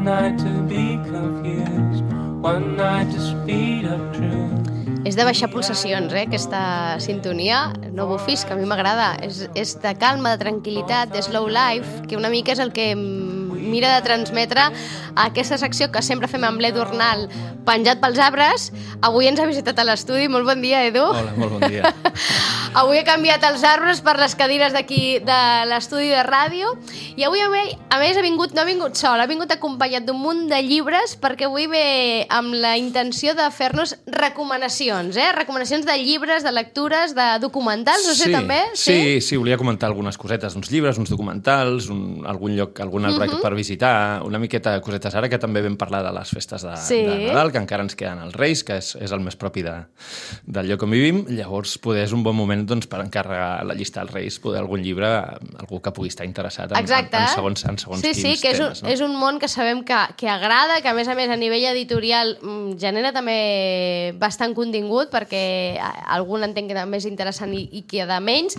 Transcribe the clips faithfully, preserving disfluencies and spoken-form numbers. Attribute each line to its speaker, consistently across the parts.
Speaker 1: night to be confused, one night to speed up truth.
Speaker 2: És de baixar pulsacions, eh, aquesta sintonia. No bufis, que a mi m'agrada. És, és de calma, de tranquil·litat, de slow life, que una mica és el que mira de transmetre aquesta secció que sempre fem amb l'Edu Arnal penjat pels arbres. Avui ens ha visitat a l'estudi. Molt bon dia, Edu.
Speaker 3: Hola, molt bon dia.
Speaker 2: Avui he canviat els arbres per les cadires d'aquí de l'estudi de ràdio i avui, a més, ha vingut, no ha vingut sol, ha vingut acompanyat d'un munt de llibres perquè avui ve amb la intenció de fer-nos recomanacions, eh? Recomanacions de llibres, de lectures, de documentals, no sé,
Speaker 3: sí,
Speaker 2: també?
Speaker 3: Sí, sí, sí, volia comentar algunes cosetes, uns llibres, uns documentals, un, algun lloc, algun altre uh-huh. per visitar, una miqueta de cosetes ara, que també vam parlar de les festes de,
Speaker 2: sí.
Speaker 3: de Nadal, que encara ens queden els Reis, que és, és el més propi de, del lloc on vivim, llavors poder és un bon moment doncs, per encarregar la llista dels Reis, poder algun llibre, algú que pugui estar interessat en, en, en segons, en segons
Speaker 2: sí,
Speaker 3: quins
Speaker 2: sí, que és
Speaker 3: temes.
Speaker 2: Un,
Speaker 3: no?
Speaker 2: és un món que sabem que, que agrada, que a més a més a nivell editorial genera també bastant contingut, perquè algun entenc que també és interessant i, i que de menys,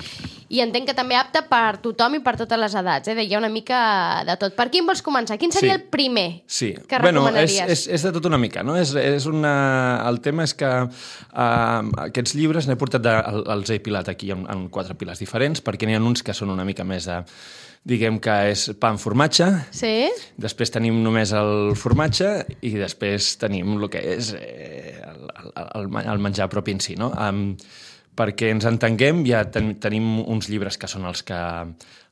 Speaker 2: i entenc que també apte per tothom i per totes les edats, eh? Deia una mica de tot. Per quin vols començar? Quin seria sí. el primer
Speaker 3: sí.
Speaker 2: que
Speaker 3: bueno,
Speaker 2: recomanaries?
Speaker 3: És, és, és de tot una mica, no? És, és una... El tema és que uh, aquests llibres n'he portat de, els he pilat aquí en, en quatre piles diferents, perquè n'hi ha uns que són una mica més de... diguem que és pa amb formatge,
Speaker 2: sí.
Speaker 3: després tenim només el formatge i després tenim el que és eh, el, el, el menjar propi en si, no? Um, perquè ens entenguem, ja ten, tenim uns llibres que són els que,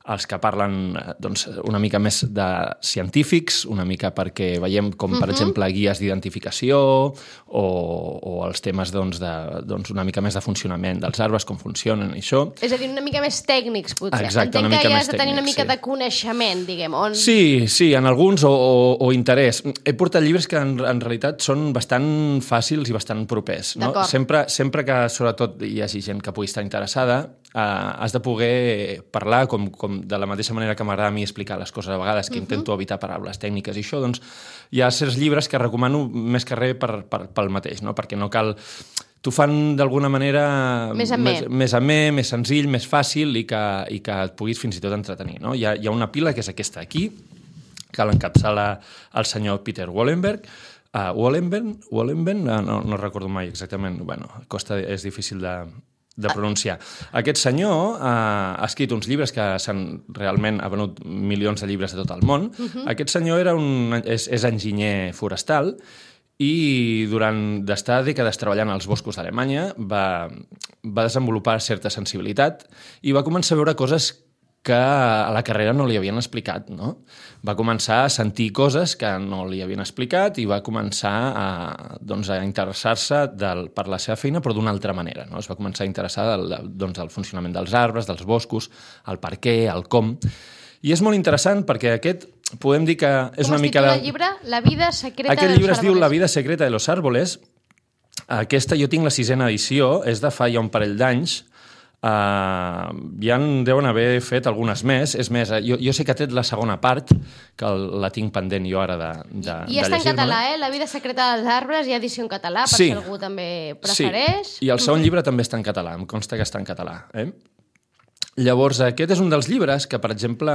Speaker 3: els que parlen doncs, una mica més de científics, una mica perquè veiem com, per uh-huh. exemple, guies d'identificació o, o els temes doncs, de, doncs, una mica més de funcionament dels arbres, com funcionen i això.
Speaker 2: És a dir, una mica més tècnics, potser.
Speaker 3: Exacte,
Speaker 2: entenc
Speaker 3: una mica
Speaker 2: que ja
Speaker 3: més
Speaker 2: has de tenir
Speaker 3: tècnic,
Speaker 2: una mica
Speaker 3: sí.
Speaker 2: de coneixement, diguem. On...
Speaker 3: Sí, sí, en alguns, o, o, o interès. He portat llibres que en, en realitat són bastant fàcils i bastant propers. No? Sempre, sempre que, sobretot, hi hagi gent que pugui estar interessada, eh, has de poder parlar com, com de la mateixa manera que m'agrada a mi explicar les coses a vegades, que uh-huh. intento evitar paraules tècniques i això, doncs hi ha certs llibres que recomano més que res per, per, pel mateix, no? Perquè no cal... T'ho fan d'alguna manera
Speaker 2: més amè,
Speaker 3: més, més, amè, més senzill, més fàcil i que, i que et puguis fins i tot entretenir. No? Hi ha, hi ha una pila que és aquesta aquí, que l'encapçala el senyor Peter Wollenberg, uh, Wollenberg, Wollenberg no, no, no recordo mai exactament, bueno, costa, és difícil de... de pronunciar. Aquest senyor eh, ha escrit uns llibres que s'han realment ha venut milions de llibres de tot el món. Uh-huh. Aquest senyor era un, és, és enginyer forestal i durant d'estar dècades treballant als boscos d'Alemanya va, va desenvolupar certa sensibilitat i va començar a veure coses que a la carrera no li havien explicat, no? Va començar a sentir coses que no li havien explicat i va començar a, doncs, a interessar-se del, per la seva feina, però d'una altra manera, no? Es va començar a interessar del, doncs, del funcionament dels arbres, dels boscos, el per què, el com. I és molt interessant perquè aquest, podem dir que és
Speaker 2: com
Speaker 3: una mica...
Speaker 2: Com es titula el llibre? La vida secreta
Speaker 3: Aquest
Speaker 2: dels
Speaker 3: llibre es
Speaker 2: árboles.
Speaker 3: diu La vida secreta de los árboles. Aquesta jo tinc la sisena edició, és de fa ja un parell d'anys. Uh, ja en deuen haver fet algunes més. És més, jo, jo sé que ha tret la segona part, que el, la tinc pendent jo ara de, de,
Speaker 2: I
Speaker 3: de
Speaker 2: està en
Speaker 3: llegir-me.
Speaker 2: català, eh? La vida secreta dels arbres, hi ha edició en català, per
Speaker 3: sí.
Speaker 2: si algú també prefereix.
Speaker 3: Sí. I el segon llibre també està en català, em consta que està en català. Eh? Llavors, aquest és un dels llibres que, per exemple,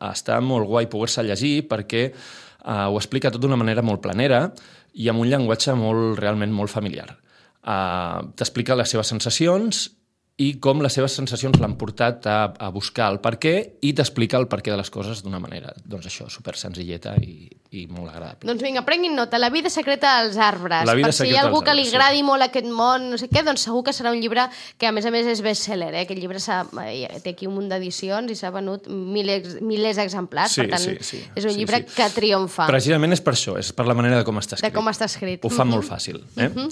Speaker 3: està molt guai poder-se llegir perquè uh, ho explica tot d'una manera molt planera i amb un llenguatge molt, realment molt familiar. Uh, t'explica les seves sensacions i com les seves sensacions l'han portat a, a buscar el per què i t'explica el per què de les coses d'una manera, doncs això, super senzilleta i, i molt agradable.
Speaker 2: Doncs vinga, prenguin nota, La vida secreta dels arbres.
Speaker 3: La vida
Speaker 2: per si hi ha algú que li
Speaker 3: arbres,
Speaker 2: agradi
Speaker 3: sí.
Speaker 2: molt aquest món, no sé què, doncs segur que serà un llibre que a més a més és bestseller, eh? Aquest llibre té aquí un munt d'edicions i s'ha venut milers, milers d'exemplars,
Speaker 3: sí,
Speaker 2: per tant
Speaker 3: sí, sí,
Speaker 2: és un
Speaker 3: sí,
Speaker 2: llibre
Speaker 3: sí.
Speaker 2: que triomfa.
Speaker 3: Precisament és per això, és per la manera de com està escrit.
Speaker 2: De com està escrit.
Speaker 3: Ho fa uh-huh. molt fàcil. Eh? Uh-huh.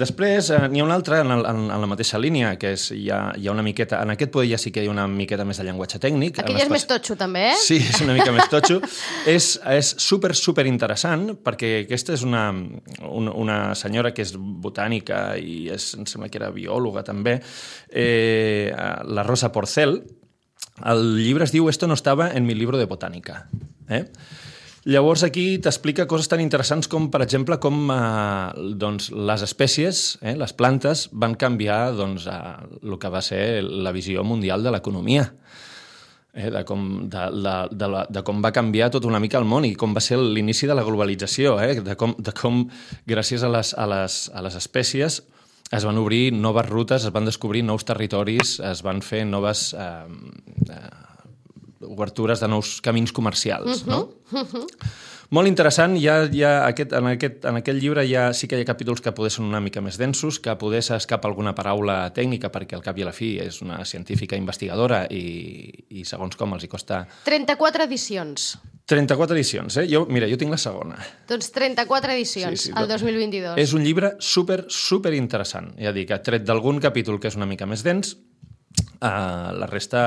Speaker 3: Després eh, n'hi ha un altre en, el, en, en la mateixa línia, que és, hi, ha, hi ha una miqueta... En aquest poder ja sí que hi ha una miqueta més de llenguatge tècnic.
Speaker 2: Aquell és més totxo, també, eh?
Speaker 3: Sí, és una mica més totxo. és, és super, super interessant, perquè aquesta és una, una, una senyora que és botànica i és, em sembla que era biòloga, també, eh, la Rosa Porcel. El llibre es diu Esto no estaba en mi libro de botánica. Eh? Llavors aquí t'explica coses tan interessants com, per exemple, com eh, doncs, les espècies, eh, les plantes, van canviar doncs, eh, el que va ser la visió mundial de l'economia. eh, de, com, de, de, de, la, de com va canviar tot una mica el món i com va ser l'inici de la globalització, eh, de, com, de com gràcies a les, a, les, a les espècies es van obrir noves rutes, es van descobrir nous territoris, es van fer noves eh, eh, obertures de nous camins comercials, uh-huh, no? Uh-huh. Molt interessant, ja, ja aquest, en, aquest, en aquest llibre ja, sí que hi ha capítols que poder són una mica més densos, que poder s'escapa alguna paraula tècnica, perquè al cap i a la fi és una científica investigadora i, i segons com els hi costa...
Speaker 2: trenta-quatre edicions.
Speaker 3: trenta-quatre edicions, eh? Jo, mira, jo tinc la segona.
Speaker 2: Doncs trenta-quatre edicions, sí, sí, el dos mil vint-i-dos.
Speaker 3: És un llibre super, super interessant. Ja dic, tret d'algun capítol que és una mica més dens, uh, la resta,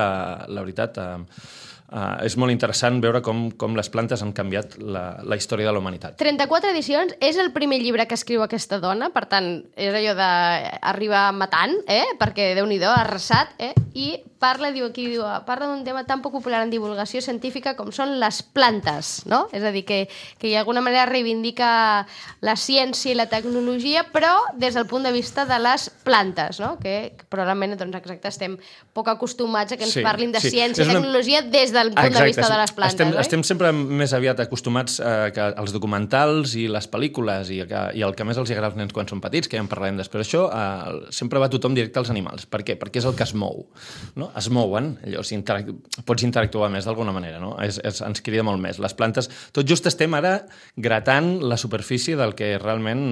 Speaker 3: la veritat... Uh, Uh, és molt interessant veure com, com les plantes han canviat la, la història de la humanitat.
Speaker 2: trenta-quatre edicions, és el primer llibre que escriu aquesta dona, per tant, és allò d'arribar matant, eh? Perquè, Déu-n'hi-do, ha arrasat, eh? I parla, diu aquí, diu, parla d'un tema tan poc popular en divulgació científica com són les plantes, no? És a dir, que, que d'alguna manera reivindica la ciència i la tecnologia, però des del punt de vista de les plantes, no? Que, que probablement, doncs, exacte, estem poc acostumats a que ens
Speaker 3: sí,
Speaker 2: parlin de
Speaker 3: sí.
Speaker 2: ciència i una... tecnologia des del punt Exacte. de vista de les plantes,
Speaker 3: estem,
Speaker 2: oi?
Speaker 3: Estem sempre més aviat acostumats a que els documentals i les pel·lícules i, que, i el que més els agrada als nens quan són petits, que ja en parlarem després d'això, eh, sempre va tothom directe als animals. Per què? Perquè és el que es mou, no? Es mouen, allò, si interac... pots interactuar més d'alguna manera, no? És, és, ens crida molt més. Les plantes, tot just estem ara gratant la superfície del que realment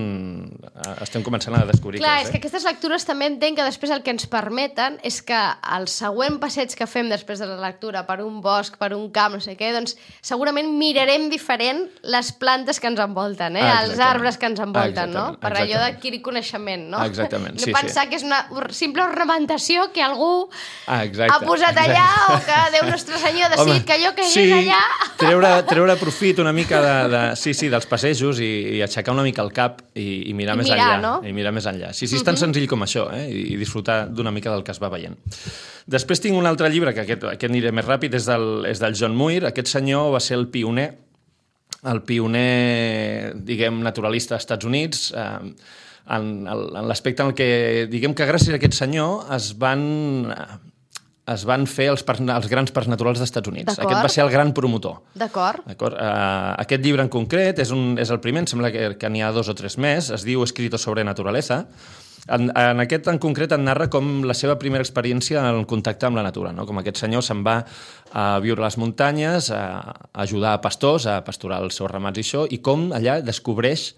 Speaker 3: estem començant a descobrir.
Speaker 2: Clar,
Speaker 3: que és,
Speaker 2: és
Speaker 3: eh?
Speaker 2: que aquestes lectures també entenc que després el que ens permeten és que el següent passeig que fem després de la lectura per un bosc, per un camp, no sé què, doncs segurament mirarem diferent les plantes que ens envolten, eh?
Speaker 3: Ah,
Speaker 2: els arbres que ens envolten, no? Per
Speaker 3: exactament.
Speaker 2: allò d'adquirir coneixement, no?
Speaker 3: Exactament,
Speaker 2: no
Speaker 3: sí,
Speaker 2: pensar
Speaker 3: sí.
Speaker 2: que és una simple ornamentació que algú
Speaker 3: ah, exacte,
Speaker 2: ha posat
Speaker 3: exacte.
Speaker 2: allà o que Déu Nostre Senyor ha decidit Home, que allò que
Speaker 3: sí,
Speaker 2: és allà...
Speaker 3: treure, treure profit una mica de, de, sí, sí, dels passejos i, i aixecar una mica el cap i, i mirar
Speaker 2: I
Speaker 3: més
Speaker 2: mirar,
Speaker 3: enllà.
Speaker 2: No?
Speaker 3: I mirar més enllà. Sí, sí, és tan uh-huh. senzill com això, eh? I, i disfrutar d'una mica del que es va veient. Després tinc un altre llibre, que aquest, aquest aniré més ràpid, és del, és del John Muir. Aquest senyor va ser el pioner, el pioner, diguem, naturalista als Estats Units, eh, en, en l'aspecte en el que, diguem que gràcies a aquest senyor es van... es van fer els, parcs, els grans parcs naturals dels Estats Units. Aquest va ser el gran promotor.
Speaker 2: D'acord.
Speaker 3: Uh, aquest llibre en concret és, un, és el primer, em sembla que, que n'hi ha dos o tres més, es diu Escrito sobre naturaleza. En, en aquest en concret en narra com la seva primera experiència en contacte amb la natura, no? Com aquest senyor se'n va a viure a les muntanyes, a, a ajudar a pastors, a pasturar els seus ramats i això, i com allà descobreix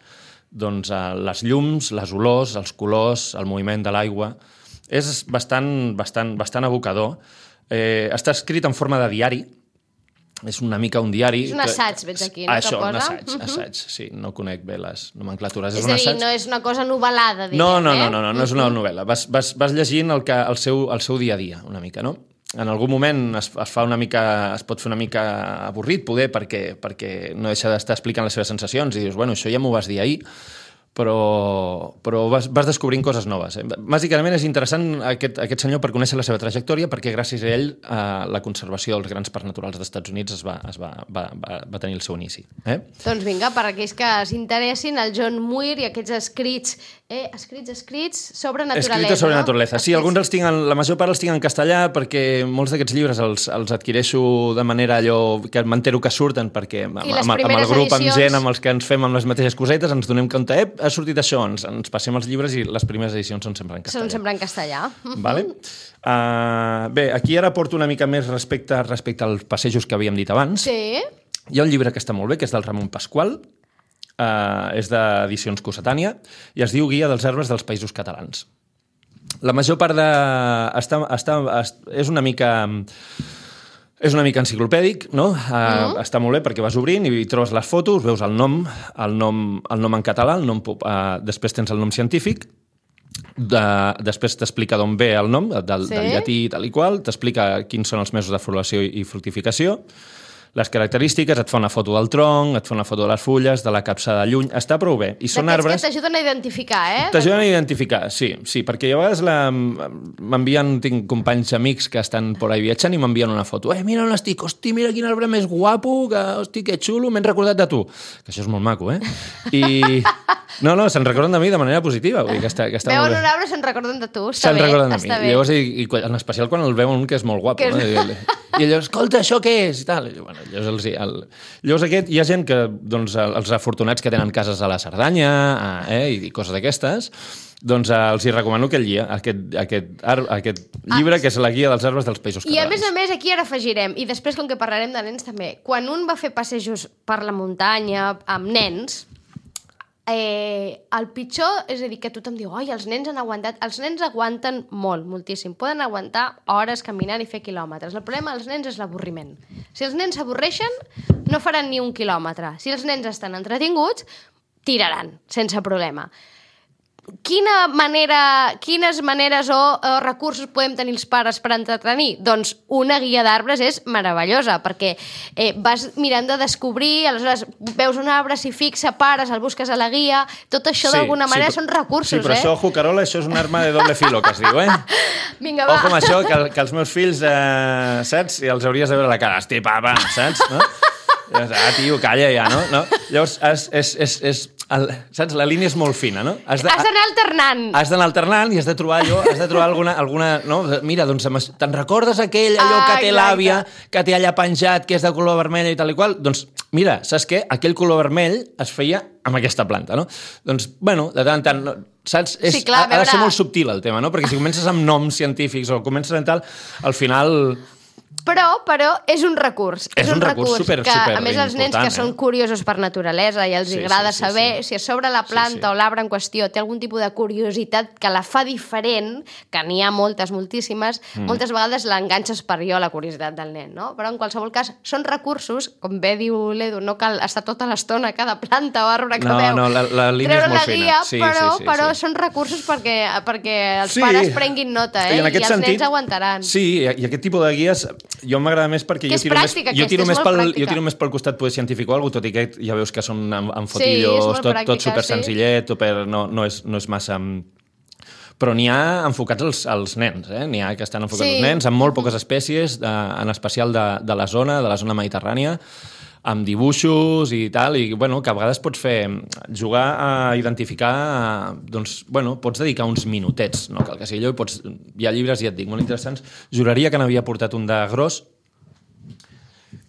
Speaker 3: doncs, les llums, les olors, els colors, el moviment de l'aigua. És bastant, bastant, bastant abocador. Eh, està escrit en forma de diari. És una mica un diari.
Speaker 2: És un assaig, veig aquí, no?
Speaker 3: Això,
Speaker 2: que posa?
Speaker 3: un assaig,
Speaker 2: uh-huh.
Speaker 3: assaig, sí. No conec bé les nomenclatures.
Speaker 2: És,
Speaker 3: és un
Speaker 2: a dir,
Speaker 3: assaig...
Speaker 2: no és una cosa novel·lada, diguem,
Speaker 3: no, no,
Speaker 2: eh?
Speaker 3: no, no, no, no és una novel·la. Vas, vas, vas llegint el, que, el, seu, el seu dia a dia, una mica, no? En algun moment es, es, fa una mica, es pot fer una mica avorrit, poder, perquè, perquè no deixa d'estar explicant les seves sensacions i dius, bueno, això ja m'ho vas dir ahir, però, però vas, vas descobrint coses noves. Eh? Bàsicament és interessant aquest, aquest senyor per conèixer la seva trajectòria, perquè gràcies a ell eh, la conservació dels grans parcs naturals dels Estats Units es va, es va, va, va, va tenir el seu inici. Eh?
Speaker 2: Doncs vinga, per aquells que s'interessin, el John Muir i aquests escrits, eh, escrits, escrits sobre naturalesa.
Speaker 3: Escrits sobre
Speaker 2: no?
Speaker 3: naturalesa. Sí, alguns els tinc, en, la major part els tinc en castellà perquè molts d'aquests llibres els, els adquireixo de manera allò que m'entero que surten, perquè amb, amb, amb el grup, edicions... amb gent, amb els que ens fem amb les mateixes cosetes, ens donem compte, eh, ha sortit això, ens, ens passem els llibres i les primeres edicions són sempre en castellà.
Speaker 2: Són sempre en castellà.
Speaker 3: Vale? Uh, bé, aquí ara porto una mica més respecte, respecte als passejos que havíem dit abans.
Speaker 2: Sí.
Speaker 3: Hi ha un llibre que està molt bé, que és del Ramon Pasqual, uh, és d'edicions Cossetània, i es diu Guia dels arbres dels Països Catalans. La major part de... Està, està, és una mica... És una mica enciclopèdic, no? Uh, mm. Està molt bé perquè vas obrint i trobes les fotos, veus el nom, el nom, el nom en català, el nom, uh, després tens el nom científic, de, després t'explica d'on ve el nom, del, sí. del llatí tal i qual, t'explica quins són els mesos de floració i fructificació, les característiques, et fa una foto del tronc, et fa una foto de les fulles, de la capçada lluny, està prou bé. I són arbres...
Speaker 2: que t'ajuden a identificar, eh?
Speaker 3: T'ajuden a identificar, sí, sí, perquè a vegades la... m'envien, tinc companys amics que estan por ahí viatjant i m'envien una foto. Eh, mira on estic, hosti, mira quin arbre més guapo, que, hosti, que xulo, m'he recordat de tu. Que això és molt maco, eh? I... No, no, se'n recorden de mi de manera positiva. Vull dir que està, que està
Speaker 2: veuen
Speaker 3: molt bé.
Speaker 2: un arbre, se'n recorden de tu. Està
Speaker 3: Se'n
Speaker 2: bé,
Speaker 3: recorden de mi.
Speaker 2: està bé.
Speaker 3: Llavors, i, i, en especial quan el veuen un que és molt guapo.
Speaker 2: Que és...
Speaker 3: No? I, I llavors, escolta, això què és? I tal. I, bueno, llavors, els, el... llavors aquest, hi ha gent que, doncs, els afortunats que tenen cases a la Cerdanya eh, i coses d'aquestes, doncs eh, els hi recomano aquest, guia, aquest, aquest, ar, aquest llibre, ah, que és la guia dels arbres dels Països Catalans.
Speaker 2: I a més a més, aquí ara afegirem, i després com que parlarem de nens també, quan un va fer passejos per la muntanya amb nens, eh, el pitjor, és a dir, que tothom diu oi, els nens han aguantat, els nens aguanten molt, moltíssim, poden aguantar hores caminant i fer quilòmetres. El problema dels nens és l'avorriment. Si els nens s'avorreixen, no faran ni un quilòmetre. Si els nens estan entretinguts, tiraran, sense problema. Quina manera, quines maneres o, o recursos podem tenir els pares per entretenir? Doncs una guia d'arbres és meravellosa, perquè eh, vas mirant de descobrir, aleshores veus un arbre, s'hi fixa, pares, el busques a la guia, tot això sí, d'alguna manera sí, però, són recursos, eh?
Speaker 3: Sí, però eh? això, Jucarola, això és un arma de doble filo, que es diu, eh?
Speaker 2: Vinga, va.
Speaker 3: O com això, que, que els meus fills, eh, saps? I els hauries de veure la cara. Hosti, papa, saps? No? Ah, tio, calla ja, no? no? Llavors, és, és, és, és, el, saps? La línia és molt fina, no?
Speaker 2: Has d'anar alternant.
Speaker 3: Has d'anar alternant i has de trobar allò, has de trobar alguna... alguna no? Mira, doncs, te'n recordes aquell, allò ah, que té l'àvia, que té allà penjat, que és de color vermell i tal i qual? Doncs, mira, saps què? Aquell color vermell es feia amb aquesta planta, no? Doncs, bueno, de tant en tant... No? Saps? És, sí, clar, ha, ha de ser molt subtil el tema, no? Perquè si comences amb noms científics o comences amb tal, al final...
Speaker 2: Però, però és un recurs.
Speaker 3: És, és un, un recurs, recurs super,
Speaker 2: que,
Speaker 3: super
Speaker 2: a més, els nens que eh? són curiosos per naturalesa i els sí, agrada sí, sí, saber sí. si a sobre la planta sí, sí. o l'arbre en qüestió té algun tipus de curiositat que la fa diferent, que n'hi ha moltes, moltíssimes, mm. moltes vegades l'enganxes per jo, la curiositat del nen, no? Però en qualsevol cas, són recursos, com bé diu l'Edu, no cal estar tota l'estona a cada planta o arbre que
Speaker 3: no,
Speaker 2: veu.
Speaker 3: No, la, la línia és molt
Speaker 2: la guia,
Speaker 3: fina. Sí,
Speaker 2: però,
Speaker 3: sí, sí,
Speaker 2: però
Speaker 3: sí.
Speaker 2: són recursos perquè, perquè els
Speaker 3: sí.
Speaker 2: pares prenguin nota, eh? I, I els
Speaker 3: sentit,
Speaker 2: nens aguantaran.
Speaker 3: Sí, i aquest tipus de guies jo m'agrada més perquè jo tiro, pràctica, més, jo, tiro més pel, jo tiro més pel costat poder científic o alguna cosa, tot i que ja veus que són amb, amb fotillos, sí, tot, pràctica, tot super senzillet, sí. super, no, no, és, no és massa... Però n'hi ha enfocats als, als nens, eh? N'hi ha que estan enfocats sí. als nens, amb molt poques espècies, de, en especial de, de la zona, de la zona mediterrània, amb dibuixos i tal, i bueno, que a vegades pots fer jugar a identificar, doncs, bueno, pots dedicar uns minutets, no cal que sigui allò, i pots, hi ha llibres, ja et dic, molt interessants. Juraria que n'havia portat un de gros,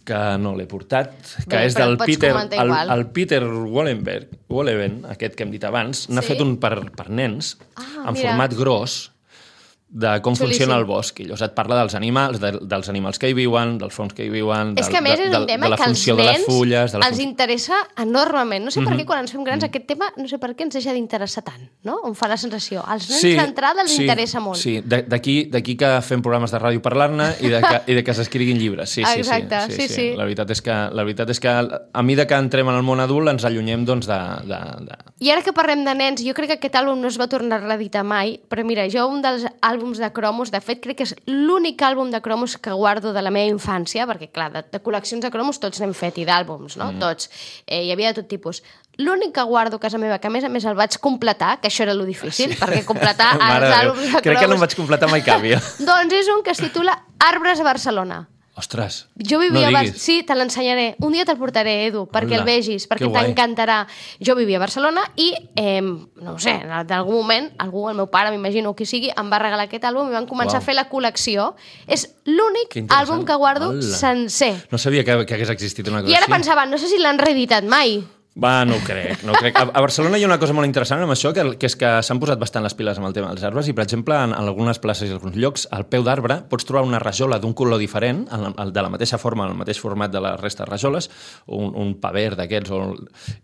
Speaker 3: que no l'he portat, que Bé, és del Peter, el, el Peter Wollenberg, Wolleben, aquest que hem dit abans, n'ha sí? fet un per, per nens, ah, en mira. format gros, de com Xulíssim. funciona el bosc. I llavors et parla dels animals, de, dels animals que hi viuen, dels fons que hi viuen,
Speaker 2: és que a més
Speaker 3: de,
Speaker 2: és un
Speaker 3: de,
Speaker 2: tema
Speaker 3: de la
Speaker 2: que
Speaker 3: funció
Speaker 2: als
Speaker 3: de les fulles... De la
Speaker 2: els
Speaker 3: fun...
Speaker 2: interessa enormement. No sé mm-hmm. per què quan ens fem grans
Speaker 3: mm-hmm.
Speaker 2: aquest tema, no sé per què ens deixa d'interessar tant, no? Em fa la sensació. Als nens
Speaker 3: sí,
Speaker 2: d'entrada els
Speaker 3: sí,
Speaker 2: interessa molt.
Speaker 3: Sí, d'aquí d'aquí que fem programes de ràdio parlant-ne i, de que, i de que s'escriguin llibres. Sí, sí,
Speaker 2: Exacte,
Speaker 3: sí,
Speaker 2: sí,
Speaker 3: sí,
Speaker 2: sí.
Speaker 3: sí. La veritat és que, la veritat és que a mesura que entrem en el món adult ens allunyem doncs, de, de, de...
Speaker 2: I ara que parlem de nens, jo crec que aquest àlbum no es va tornar a reeditar mai, però mira, jo un dels àlbums de cromos, de fet crec que és l'únic àlbum de cromos que guardo de la meva infància, perquè clar, de, de col·leccions de cromos tots n'hem fet, i d'àlbums, no? Mm. Tots. Eh, hi havia de tot tipus. L'únic que guardo a casa meva, que a més a més el vaig completar, que això era lo difícil, sí. perquè completar els àlbums de cromos...
Speaker 3: Crec que no em vaig completar mai cap, jo.
Speaker 2: Doncs és un que es titula Arbres a Barcelona.
Speaker 3: Ostres,
Speaker 2: jo vivia
Speaker 3: no
Speaker 2: a Bar... Sí, te l'ensenyaré. Un dia te'l portaré, Edu, perquè Hola. el vegis, perquè t'encantarà. Jo vivia a Barcelona i, eh, no ho sé, en algun moment, algú, el meu pare, m'imagino, qui sigui, em va regalar aquest àlbum i van començar wow. a fer la col·lecció. És l'únic àlbum que guardo Hola. sencer.
Speaker 3: No sabia que, que hagués existit una cosa
Speaker 2: I ara
Speaker 3: així.
Speaker 2: pensava, no sé si l'han reeditat mai.
Speaker 3: Va, no ho crec, no ho crec. A, a Barcelona hi ha una cosa molt interessant amb això, que, que és que s'han posat bastant les piles amb el tema dels arbres i, per exemple, en, en algunes places i alguns llocs, al peu d'arbre pots trobar una rajola d'un color diferent, en, en, de la mateixa forma, en el mateix format de la resta de rajoles, un, un paver d'aquests,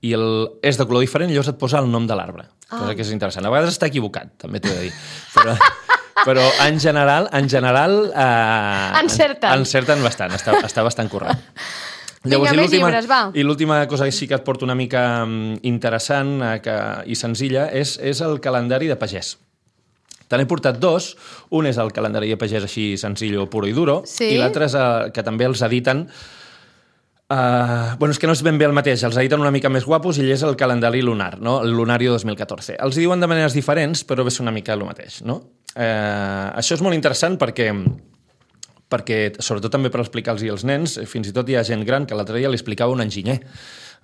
Speaker 3: i el, és de color diferent i llavors et posa el nom de l'arbre, ah. cosa que és interessant. A vegades està equivocat, també t'ho he de dir. Però, però en general, en general eh,
Speaker 2: encerten.
Speaker 3: encerten bastant, està, està bastant correcte.
Speaker 2: Llavors, Vinga, més llibres, va.
Speaker 3: I l'última cosa que sí que et porto una mica interessant eh, que, i senzilla és, és el calendari de pagès. Te n'he portat dos. Un és el calendari de pagès així senzill, puro i duro, sí? I l'altre és eh, que també els editen... Uh, bueno, és que no és ben bé el mateix, els editen una mica més guapos i és el calendari lunar, no? El Lunario dos mil catorze. Els diuen de maneres diferents, però és una mica el mateix, no? Uh, això és molt interessant perquè... perquè, sobretot també per explicar-los als nens, fins i tot hi ha gent gran que l'altre dia li explicava un enginyer.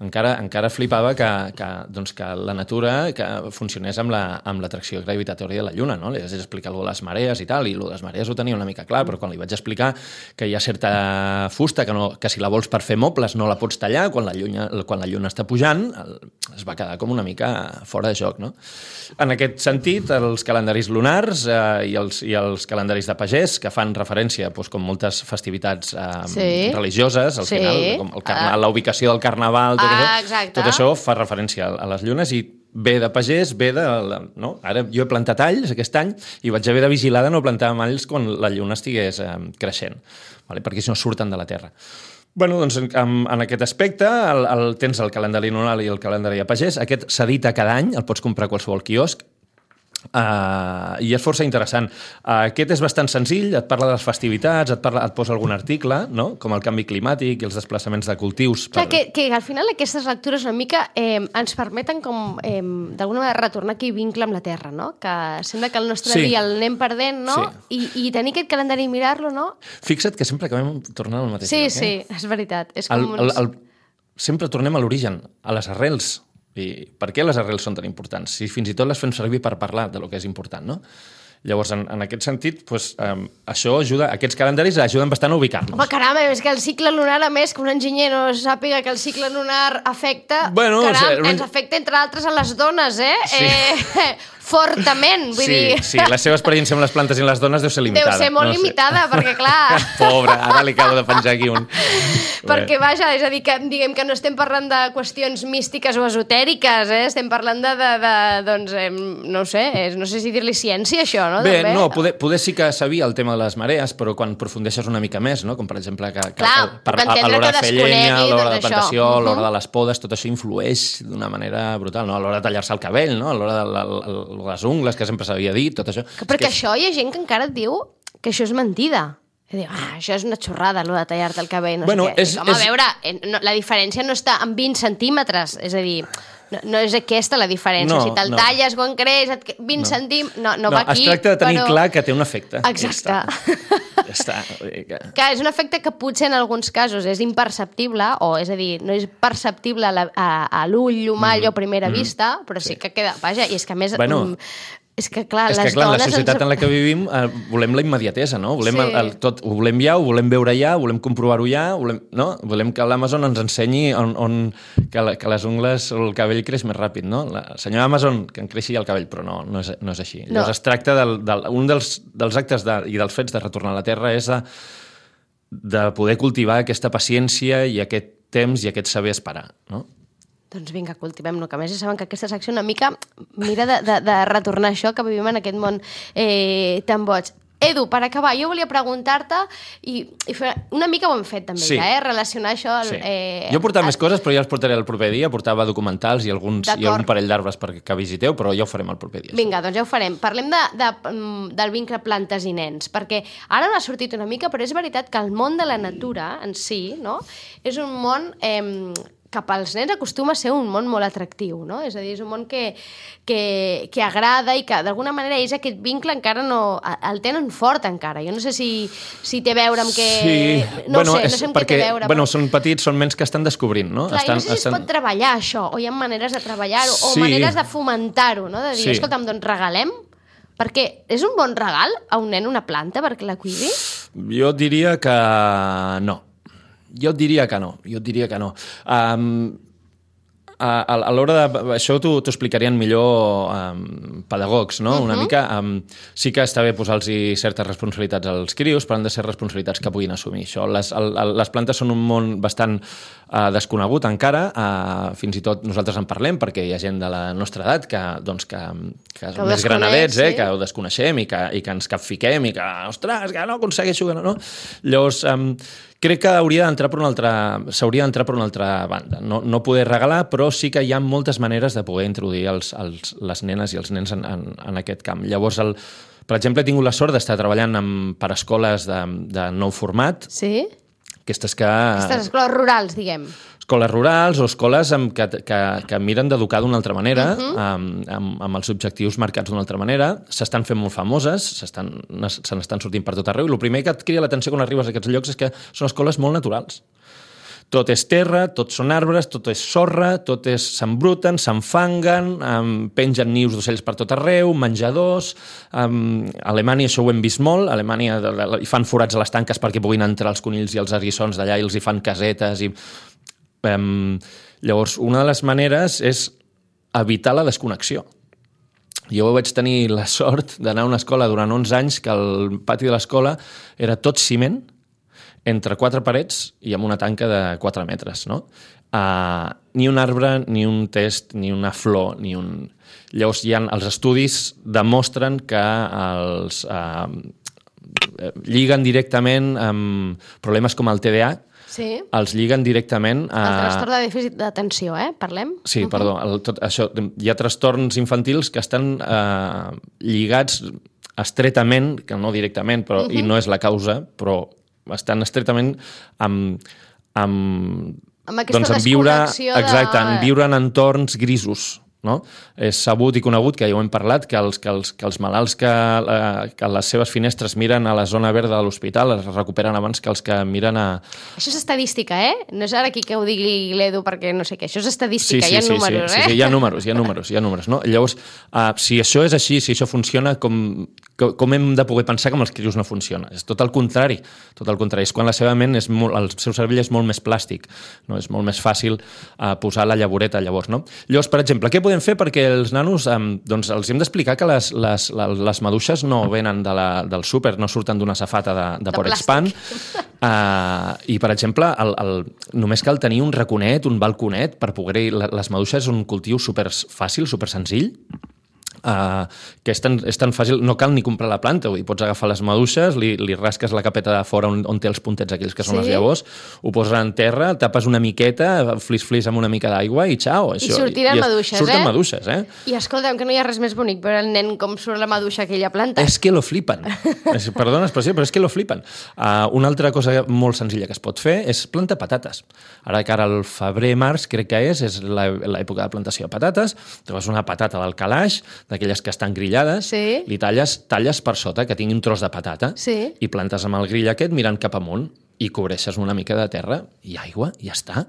Speaker 3: encara, encara flipava que, que, doncs, que la natura que funcionés amb la, amb l'atracció gravitatòria de la Lluna, no? Li vaig explicar allò de les marees i tal, i allò de les marees ho tenia una mica clar, però quan li vaig explicar que hi ha certa fusta, que, no, que si la vols per fer mobles no la pots tallar, quan la lluna, quan la lluna està pujant, es va quedar com una mica fora de joc, no? En aquest sentit, els calendaris lunars eh, i, els, i els calendaris de pagès, que fan referència, doncs, com moltes festivitats eh, sí. religioses, al
Speaker 2: sí.
Speaker 3: final, com el carna, ah. la ubicació del carnaval, tot,
Speaker 2: ah,
Speaker 3: això, tot això fa referència a les llunes i ve de pagès, ve de... No? Ara jo he plantat alls aquest any i vaig haver de vigilar de no plantar alls quan la lluna estigués eh, creixent, vale? Perquè si no surten de la terra. Bueno, doncs en, en aquest aspecte el, el, tens el calendari lunar i el calendari de pagès. Aquest s'edita cada any, el pots comprar a qualsevol quiosc. Uh, i és força interessant. Uh, aquest és bastant senzill, et parla de les festivitats, et, parla, et posa algun article, no? Com el canvi climàtic i els desplaçaments de cultius.
Speaker 2: Clar, per... que, que al final aquestes lectures una mica eh, ens permeten com eh, d'alguna manera retornar aquell vincle amb la Terra, no? Que sembla que el nostre sí. dia el anem perdent, no? Sí. I, I tenir aquest calendari i mirar-lo, no?
Speaker 3: Fixa't que sempre acabem tornant al mateix
Speaker 2: sí,
Speaker 3: lloc.
Speaker 2: Sí,
Speaker 3: eh?
Speaker 2: sí, és veritat. És com
Speaker 3: el, el, el... Sempre tornem a l'origen, a les arrels. I per què les arrels són tan importants? Si fins i tot les fem servir per parlar de lo que és important, no? Llavors, en, en aquest sentit, pues, um, això ajuda, aquests calendaris ajuden bastant a ubicar-nos.
Speaker 2: Home, caram, és que el cicle lunar, a més, que un enginyer no sàpiga que el cicle lunar afecta...
Speaker 3: Bueno,
Speaker 2: caram,
Speaker 3: o sigui,
Speaker 2: ens afecta, entre altres, a les dones, eh?
Speaker 3: Sí.
Speaker 2: eh fortament, vull
Speaker 3: sí,
Speaker 2: dir...
Speaker 3: Sí, la seva experiència amb les plantes i les dones deu ser limitada.
Speaker 2: Deu ser molt
Speaker 3: no
Speaker 2: limitada,
Speaker 3: sé.
Speaker 2: Perquè, clar...
Speaker 3: Pobre, ara li acabo de penjar aquí un...
Speaker 2: Perquè, vaja, és a dir, que diguem que no estem parlant de qüestions místiques o esotèriques, eh? Estem parlant de, de, de doncs, eh, no ho sé, eh, no sé si dir-li ciència, això, no?
Speaker 3: Bé,
Speaker 2: També.
Speaker 3: no, poder, poder sí que sabia el tema de les marees, però quan aprofundeixes una mica més, no? Com per exemple que, que
Speaker 2: clar,
Speaker 3: per, a, a l'hora de fer llenya, a l'hora de plantació,
Speaker 2: uh -huh.
Speaker 3: a l'hora de les podes, tot això influeix d'una manera brutal, no? A l'hora de tallar-se el cabell, no? A l'hora de, de, de les ungles, que sempre s'havia dit, tot això.
Speaker 2: Que perquè
Speaker 3: que...
Speaker 2: això hi ha gent que encara et diu que això és mentida. I diu, ah, això és una xorrada, allò de tallar-te el cabell, no
Speaker 3: bueno,
Speaker 2: sé què.
Speaker 3: És,
Speaker 2: Home,
Speaker 3: és...
Speaker 2: a veure, no, la diferència no està en vint centímetres, és a dir, no, no és aquesta la diferència.
Speaker 3: No,
Speaker 2: si te'l
Speaker 3: no.
Speaker 2: talles quan creix, vint
Speaker 3: no.
Speaker 2: centímetres, no, no,
Speaker 3: no
Speaker 2: va aquí.
Speaker 3: Es tracta de tenir
Speaker 2: però...
Speaker 3: clar que té un efecte.
Speaker 2: Exacte.
Speaker 3: Ja està. Ja està. Que...
Speaker 2: que és un efecte que potser en alguns casos és imperceptible, o és a dir, no és perceptible a, la, a, a l'ull humà, allò a primera mm -hmm. vista, però sí. sí que queda... Vaja, i és que a més...
Speaker 3: Bueno,
Speaker 2: um, és que, clar,
Speaker 3: és
Speaker 2: les
Speaker 3: que, clar,
Speaker 2: dones...
Speaker 3: la societat
Speaker 2: ens...
Speaker 3: en la que vivim eh, volem la immediatesa, no? Volem
Speaker 2: sí.
Speaker 3: el, el, tot, ho volem ja, ho volem veure ja, ho volem comprovar-ho ja, volem, no? Volem que l'Amazon ens ensenyi on, on, que, la, que les ungles o el cabell creix més ràpid, no? La senyora Amazon, que em creixi el cabell, però no, no és, no és així. No. Llavors es tracta del, del, un dels, dels actes de, i dels fets de retornar a la Terra és de, de poder cultivar aquesta paciència i aquest temps i aquest saber esperar, no?
Speaker 2: Doncs vinga, cultivem-lo, que a més ja saben que aquesta secció una mica mira de, de, de retornar això que vivim en aquest món eh, tan boig. Edu, per acabar, jo volia preguntar-te i, i fer, una mica ho hem fet també,
Speaker 3: sí.
Speaker 2: ja, eh? Relacionar això...
Speaker 3: Sí.
Speaker 2: Eh,
Speaker 3: jo portava
Speaker 2: a...
Speaker 3: més coses, però ja els portaré el proper dia. Portava documentals i, alguns, i algun parell d'arbres perquè visiteu, però ja ho farem el proper dia.
Speaker 2: Vinga, doncs ja ho farem. Parlem de, de, del vincle plantes i nens, perquè ara m'ha sortit una mica, però és veritat que el món de la natura en si, no?, és un món... Eh, que pels nens acostuma a ser un món molt atractiu, no? És a dir, és un món que, que, que agrada i que d'alguna manera ells aquest vincle encara no... el tenen fort encara. Jo no sé si, si té a veure amb que...
Speaker 3: Sí.
Speaker 2: No
Speaker 3: bueno,
Speaker 2: sé,
Speaker 3: és
Speaker 2: no sé amb
Speaker 3: perquè,
Speaker 2: què té a veure.
Speaker 3: Bueno,
Speaker 2: però...
Speaker 3: són petits, són nens que estan descobrint, no?
Speaker 2: Clar,
Speaker 3: estan,
Speaker 2: no sé si
Speaker 3: estan...
Speaker 2: es pot treballar això, o hi ha maneres de treballar-ho,
Speaker 3: sí.
Speaker 2: o maneres de fomentar-ho, no? De dir,
Speaker 3: sí.
Speaker 2: escolta'm, doncs regalem, perquè és un bon regal a un nen una planta perquè la cuidi?
Speaker 3: Jo diria que no. Jo et diria que no. Jo et diria que no. Um, a, a, a l'hora de... Això t'ho explicarien millor um, pedagogs, no? Uh -huh. Una mica... Um, sí que està bé posar-los certes responsabilitats als crios, però han de ser responsabilitats que puguin assumir això. Les, el, el, les plantes són un món bastant uh, desconegut encara. Uh, fins i tot nosaltres en parlem perquè hi ha gent de la nostra edat que, doncs, que, que, que més granadets, eh, sí. que ho desconeixem i que, i que ens capfiquem i que, ostres, que no aconsegueixo... Que no, no? Llavors... Um, crec que hauria d'entrar per una altra, s'hauria d'entrar per una altra banda. No, no poder regalar, però sí que hi ha moltes maneres de poder introduir els, els, les nenes i els nens en, en, en aquest camp. Llavors, el, per exemple, he tingut la sort d'estar treballant amb, per escoles de, de nou format.
Speaker 2: Sí?
Speaker 3: Aquestes que...
Speaker 2: Aquestes escoles rurals, diguem.
Speaker 3: Escoles rurals o escoles amb, que, que, que miren d'educar d'una altra manera, uh -huh. amb, amb, amb els objectius marcats d'una altra manera. S'estan fent molt famoses, s'estan, se n'estan sortint per tot arreu, i el primer que et crida l'atenció quan arribes a aquests llocs és que són escoles molt naturals. Tot és terra, tot són arbres, tot és sorra, tot és... s'embruten, s'enfanguen, um, pengen nius d'ocells per tot arreu, menjadors... Um, a Alemanya això ho hem vist molt, a Alemanya hi fan forats a les tanques perquè puguin entrar els conills i els eriçons d'allà i els hi fan casetes. I, um, llavors, una de les maneres és evitar la desconnexió. Jo vaig tenir la sort d'anar a una escola durant onze anys que el pati de l'escola era tot ciment, entre quatre parets i amb una tanca de quatre metres, no? Uh, ni un arbre, ni un test, ni una flor, ni un... Llavors, hi ha, els estudis demostren que els uh, lliguen directament amb problemes com el T D A,
Speaker 2: sí.
Speaker 3: els lliguen directament a...
Speaker 2: El trastorn de dèficit d'atenció, eh? Parlem?
Speaker 3: Sí, uh-huh. perdó. El, tot, això, hi ha trastorns infantils que estan eh, lligats estretament, que no directament, però, uh-huh. i no és la causa, però estan estretament amb... amb,
Speaker 2: amb aquesta
Speaker 3: doncs, en viure,
Speaker 2: desconnexió
Speaker 3: exacte,
Speaker 2: de...
Speaker 3: en viure en entorns grisos. No? És sabut i conegut, que ja ho hem parlat, que els, que els, que els malalts que, eh, que les seves finestres miren a la zona verda de l'hospital es recuperen abans que els que miren a...
Speaker 2: Això és estadística, eh? No és ara aquí que ho digui l'Edu perquè no sé què. Això és estadística,
Speaker 3: sí, sí,
Speaker 2: hi ha
Speaker 3: sí,
Speaker 2: números,
Speaker 3: sí,
Speaker 2: eh?
Speaker 3: Sí, sí, hi ha números, hi ha números, hi ha números, no? Llavors, uh, si això és així, si això funciona, com, com hem de poder pensar que amb els crios no funciona? És tot el contrari, tot el contrari. És quan la seva ment, és molt, el seu cervell és molt més plàstic, no? És molt més fàcil uh, posar la llavoreta llavors, no? Llavors, per exemple, què podem fer perquè els nanos, eh, doncs els hem d'explicar que les, les, les maduixes no venen de la, del súper, no surten d'una safata de, de, de Porexpan. Uh, I, per exemple, el, el, només cal tenir un raconet, un balconet, per poder... Les maduixes és un cultiu super fàcil, super senzill, Uh, que és tan, és tan fàcil, no cal ni comprar la planta, vull dir, pots agafar les maduixes, li, li rasques la capeta de fora on, on té els puntets aquells que són sí. les llavors, ho poses en terra, tapes una miqueta, flis-flis amb una mica d'aigua i xau.
Speaker 2: Això, I sortiran i, maduixes,
Speaker 3: surten
Speaker 2: eh?
Speaker 3: maduixes, eh?
Speaker 2: I escolta'm, que no hi ha res més bonic veure el nen com surt la maduixa a aquella planta.
Speaker 3: És que lo flipen. és, perdona l'expressió, però és que lo flipen. Uh, una altra cosa molt senzilla que es pot fer és plantar patates. Ara que ara el febrer-març, crec que és, és l'època de plantació de patates, trobes una patata del calaix, d'aquelles que estan grillades,
Speaker 2: sí.
Speaker 3: li talles, talles per sota, que tingui un tros de patata,
Speaker 2: sí.
Speaker 3: i plantes amb el grill aquest mirant cap amunt, i cobreixes una mica de terra i aigua, i ja està.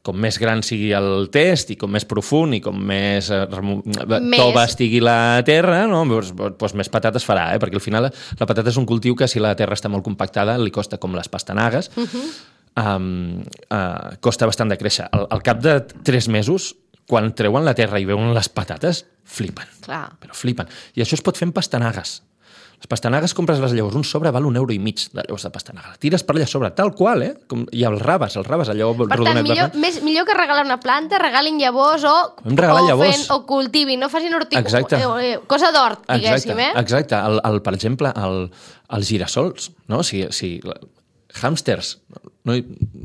Speaker 3: Com més gran sigui el test, i com més profund, i com més, eh, més... tova estigui la terra, no? doncs, doncs més patates farà, eh? Perquè al final la patata és un cultiu que si la terra està molt compactada li costa com les pastanagues, uh-huh. um, uh, costa bastant de créixer. Al, al cap de tres mesos, quan treuen la terra i veuen les patates, flipen.
Speaker 2: Clar.
Speaker 3: Però flipen. I això es pot fer amb pastanagues. Les pastanagues, compres les llavors, un sobre val un euro i mig de llavors de pastanaga. La tires per allà sobre, tal qual, eh? Com, i els rabes, els rabes, allò
Speaker 2: per
Speaker 3: rodonet.
Speaker 2: Per tant, millor, més, millor que regalar una planta, regalin llavors o, o,
Speaker 3: llavors.
Speaker 2: Fent, o cultivin, no facin hortic... Eh, cosa d'hort, diguéssim,
Speaker 3: exacte,
Speaker 2: eh?
Speaker 3: Exacte. El, el, per exemple, el, els girassols, no? Si, si, hàmsters... No,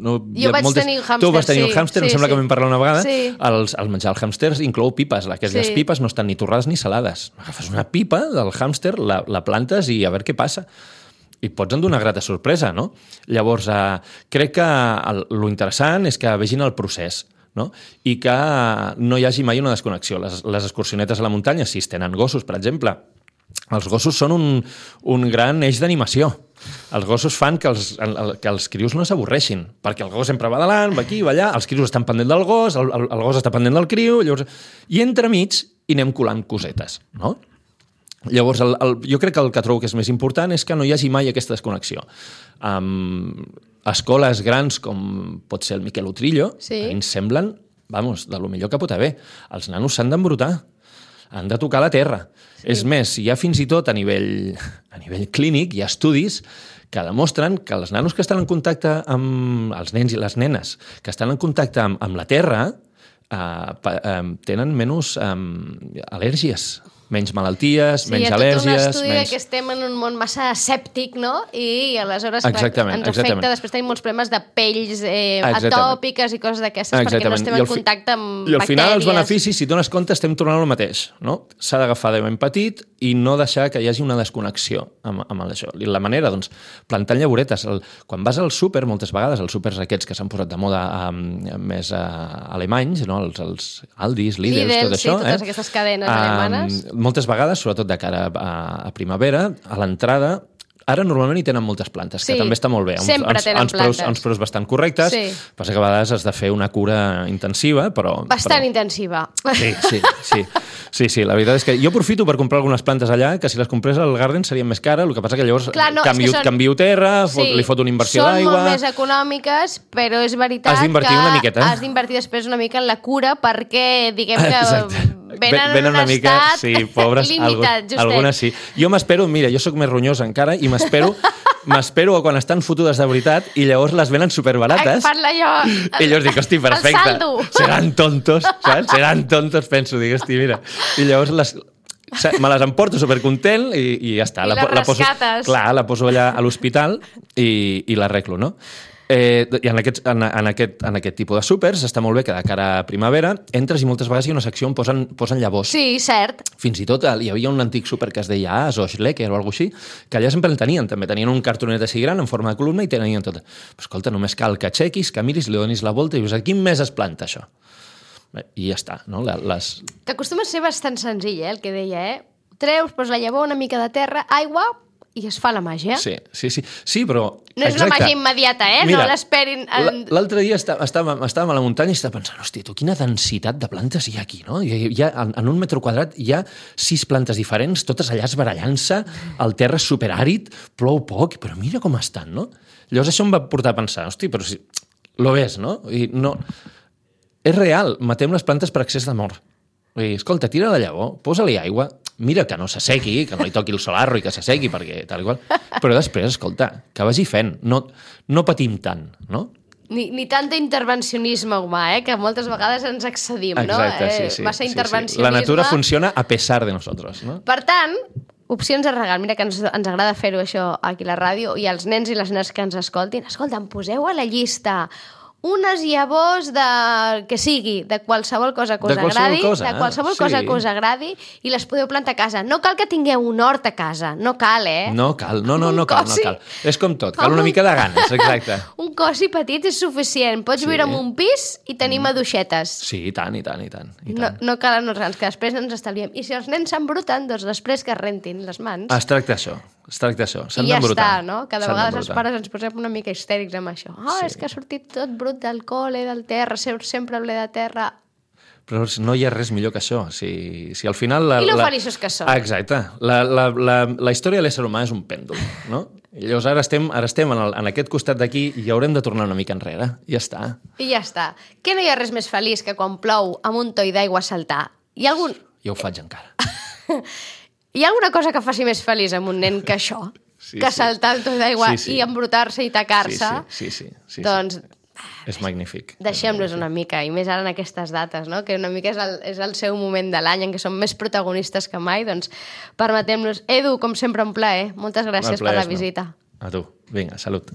Speaker 3: no,
Speaker 2: jo vaig moltes... tenir un hàmster,
Speaker 3: tu vas tenir
Speaker 2: sí,
Speaker 3: un hàmster,
Speaker 2: sí,
Speaker 3: em sembla
Speaker 2: sí.
Speaker 3: que vam parlar una vegada.
Speaker 2: Sí.
Speaker 3: Els, el menjar el hàmsters inclou pipes. Aquelles sí. pipes no estan ni torrades ni salades. Agafes una pipa del hàmster, la, la plantes i a veure què passa. I pots endur una grata sorpresa, no? Llavors, eh, crec que el, lo interessant és que vegin el procés, no? I que no hi hagi mai una desconnexió. Les, les excursionetes a la muntanya, si es tenen gossos, per exemple, els gossos són un, un gran eix d'animació. Els gossos fan que els, que els crios no s'avorreixin, perquè el gos sempre va davant, va aquí, va allà, els crios estan pendent del gos, el, el, el gos està pendent del criu, llavors... i entremig hi anem colant cosetes, no? Llavors, el, el, jo crec que el que trobo que és més important és que no hi hagi mai aquesta desconnexió. Um, escoles grans com pot ser el Miquel Utrillo,
Speaker 2: sí.
Speaker 3: a mi ens semblen, vamos, de lo millor que pot haver. Els nanos s'han d'embrutar, han de tocar la terra. Sí. És més, hi ha fins i tot a nivell, a nivell clínic, hi ha estudis que demostren que els nanos que estan en contacte amb els nens i les nenes, que estan en contacte amb, amb la terra, eh, eh, tenen menys eh, al·lèrgies, menys malalties,
Speaker 2: sí,
Speaker 3: menys
Speaker 2: al·lèrgies. Sí, hi ha tot un estudi menys... que estem en un món massa escèptic, no? I, i aleshores
Speaker 3: exactament,
Speaker 2: ens
Speaker 3: exactament.
Speaker 2: afecta, després tenim molts problemes de pells eh, atòpiques i coses d'aquestes, perquè no estem en
Speaker 3: fi...
Speaker 2: contacte amb bactèries.
Speaker 3: I al final els beneficis, si dones compte, estem tornant al mateix, no? S'ha d'agafar de ben petit i no deixar que hi hagi una desconnexió amb, amb això. I la manera, doncs, plantant llavoretes. El, quan vas al súper, moltes vegades, els súpers aquests que s'han posat de moda um, més uh, alemanys, no? els, els Aldis, Lidl,
Speaker 2: Lidl,
Speaker 3: tot
Speaker 2: sí,
Speaker 3: això.
Speaker 2: totes
Speaker 3: eh?
Speaker 2: aquestes cadenes um, alemanes.
Speaker 3: Moltes vegades, sobretot de cara a, a primavera, a l'entrada Ara normalment hi tenen moltes plantes,
Speaker 2: Sí,
Speaker 3: que també està molt bé. Uns,
Speaker 2: sempre
Speaker 3: uns,
Speaker 2: tenen
Speaker 3: uns preus,
Speaker 2: plantes.
Speaker 3: uns preus bastant correctes,
Speaker 2: Sí.
Speaker 3: passa que a vegades has de fer una cura intensiva, però...
Speaker 2: Bastant
Speaker 3: però...
Speaker 2: intensiva.
Speaker 3: Sí, sí, sí. Sí, sí, la veritat és que jo aprofito per comprar algunes plantes allà, que si les comprés al Garden serien més cares, el que passa que llavors
Speaker 2: Clar, no, és
Speaker 3: canvio,
Speaker 2: que són-
Speaker 3: canvio terra, fot, li foto una inversió
Speaker 2: són
Speaker 3: d'aigua...
Speaker 2: molt més econòmiques, però és veritat
Speaker 3: Has d'invertir
Speaker 2: que
Speaker 3: una miqueta.
Speaker 2: has d'invertir després una mica en la cura perquè, diguem que
Speaker 3: Exacte.
Speaker 2: venen,
Speaker 3: Venen
Speaker 2: en un
Speaker 3: una mica,
Speaker 2: estat
Speaker 3: sí, pobres,
Speaker 2: limitat,
Speaker 3: algun, algunes sí. Jo m'espero, mira, jo sóc més ronyós encara i m'espero m'espero a quan estan fotudes de veritat i llavors les venen superbarates.
Speaker 2: Parla jo...
Speaker 3: I llavors dic, hosti, perfecte.
Speaker 2: El saldo.
Speaker 3: Seran tontos, saps? Seran tontos, penso, dic, hosti, mira. I llavors les, me les emporto supercontent i, i ja està.
Speaker 2: I les
Speaker 3: la poso,
Speaker 2: rescates.
Speaker 3: clar, la poso allà a l'hospital i, i l'arreglo, no? Eh, I en aquest, en, en, aquest, en aquest tipus de súpers està molt bé que de cara a primavera entres i moltes vegades hi ha una secció on posen, posen llavors.
Speaker 2: Sí, cert.
Speaker 3: Fins i tot hi havia un antic súper que es deia As o Schlecker o alguna cosa així, que allà sempre el tenien, també tenien un cartonet així gran en forma de columna i tenien tot. Però escolta, només cal que aixequis, que miris, li donis la volta i dius, a quin mes es planta això? Bé, i ja està, no? La, les...
Speaker 2: Que acostuma a ser bastant senzill, eh, el que deia, eh? Treus, poses la llavor, una mica de terra, aigua i es fa la màgia.
Speaker 3: Sí, sí, sí, sí, però...
Speaker 2: No és una
Speaker 3: exacte.
Speaker 2: màgia immediata, eh?
Speaker 3: Mira,
Speaker 2: no l'esperin... En...
Speaker 3: L'altre dia estàvem, estàvem, estàvem a la muntanya i estava pensant, hòstia, tu, quina densitat de plantes hi ha aquí, no? Hi ha, hi ha, en, en un metre quadrat hi ha sis plantes diferents, totes allà esbarallant-se, el terra és superàrid, plou poc, però mira com estan, no? Llavors això em va portar a pensar, hòstia, però si... Lo ves, no? I no... És real, matem les plantes per excés d'amor. Vull dir, escolta, tira la llavor, posa-li aigua, mira que no s'assequi, que no li toqui el solarro i que s'assequi, perquè tal i qual. Però després, escolta, que vagi fent. No, no patim tant, no?
Speaker 2: Ni, ni tant d'intervencionisme humà, eh? Que moltes vegades ens excedim,
Speaker 3: Exacte,
Speaker 2: no?
Speaker 3: sí,
Speaker 2: Eh,
Speaker 3: sí.
Speaker 2: Massa
Speaker 3: sí,
Speaker 2: intervencionisme.
Speaker 3: sí. La natura funciona a pesar de nosotros, no?
Speaker 2: Per tant, opcions de regal. Mira que ens, ens agrada fer-ho això aquí a la ràdio i als nens i les nenes que ens escoltin. Escolta, em poseu a la llista unes llavors de... que sigui, de qualsevol cosa que us
Speaker 3: De qualsevol
Speaker 2: agradi,
Speaker 3: cosa,
Speaker 2: de qualsevol
Speaker 3: sí.
Speaker 2: cosa que us agradi i les podeu plantar a casa. No cal que tingueu un hort a casa, no cal, eh?
Speaker 3: No cal, no, no,
Speaker 2: Un
Speaker 3: no cal, no
Speaker 2: cosi.
Speaker 3: cal. És com tot, cal
Speaker 2: Com
Speaker 3: una
Speaker 2: un-
Speaker 3: mica de ganes, exacte.
Speaker 2: Un cosi petit és suficient. Pots
Speaker 3: Sí.
Speaker 2: viure en un pis i tenir maduixetes.
Speaker 3: Sí, i tant, i tant, i tant. I
Speaker 2: No,
Speaker 3: tant.
Speaker 2: no calen uns grans, que després ens estalviem. I si els nens s'embruten, doncs després que es rentin les mans.
Speaker 3: Es tracta això, es tracta això.
Speaker 2: I
Speaker 3: S'han
Speaker 2: ja
Speaker 3: d'embrutar.
Speaker 2: està, no? Cada
Speaker 3: S'han
Speaker 2: vegada els
Speaker 3: d'embrutar.
Speaker 2: pares ens posem una mica histèrics amb això. Ah,
Speaker 3: Sí.
Speaker 2: és que ha sortit tot brut del col·le, del terra, sempre, sempre ple de terra.
Speaker 3: Però no hi ha res millor que això. Si, si al final... La,
Speaker 2: I lo
Speaker 3: la...
Speaker 2: feliços que som.
Speaker 3: Exacte. La, la, la, la història de l'ésser humà és un pèndol, no? I llavors ara estem, ara estem en, el, en aquest costat d'aquí i haurem de tornar una mica enrere. I ja està.
Speaker 2: I ja està. Que no hi ha res més feliç que quan plou amb un toll d'aigua saltar. Hi ha, algun...
Speaker 3: Jo ho faig encara.
Speaker 2: hi ha alguna cosa que faci més feliç amb un nen que això?
Speaker 3: Sí,
Speaker 2: que
Speaker 3: sí.
Speaker 2: saltar el toll d'aigua
Speaker 3: Sí, sí.
Speaker 2: i embrutar-se i tacar-se?
Speaker 3: Sí, sí, sí. sí, sí,
Speaker 2: Doncs
Speaker 3: És magnífic.
Speaker 2: deixem-los una mica, i més ara en aquestes dates, no? Que una mica és el, és el seu moment de l'any en què som més protagonistes que mai, doncs permetem-los. Edu, com sempre, un plaer. Moltes gràcies
Speaker 3: El
Speaker 2: per
Speaker 3: plaer
Speaker 2: la
Speaker 3: és meu.
Speaker 2: visita.
Speaker 3: A tu. Vinga, salut.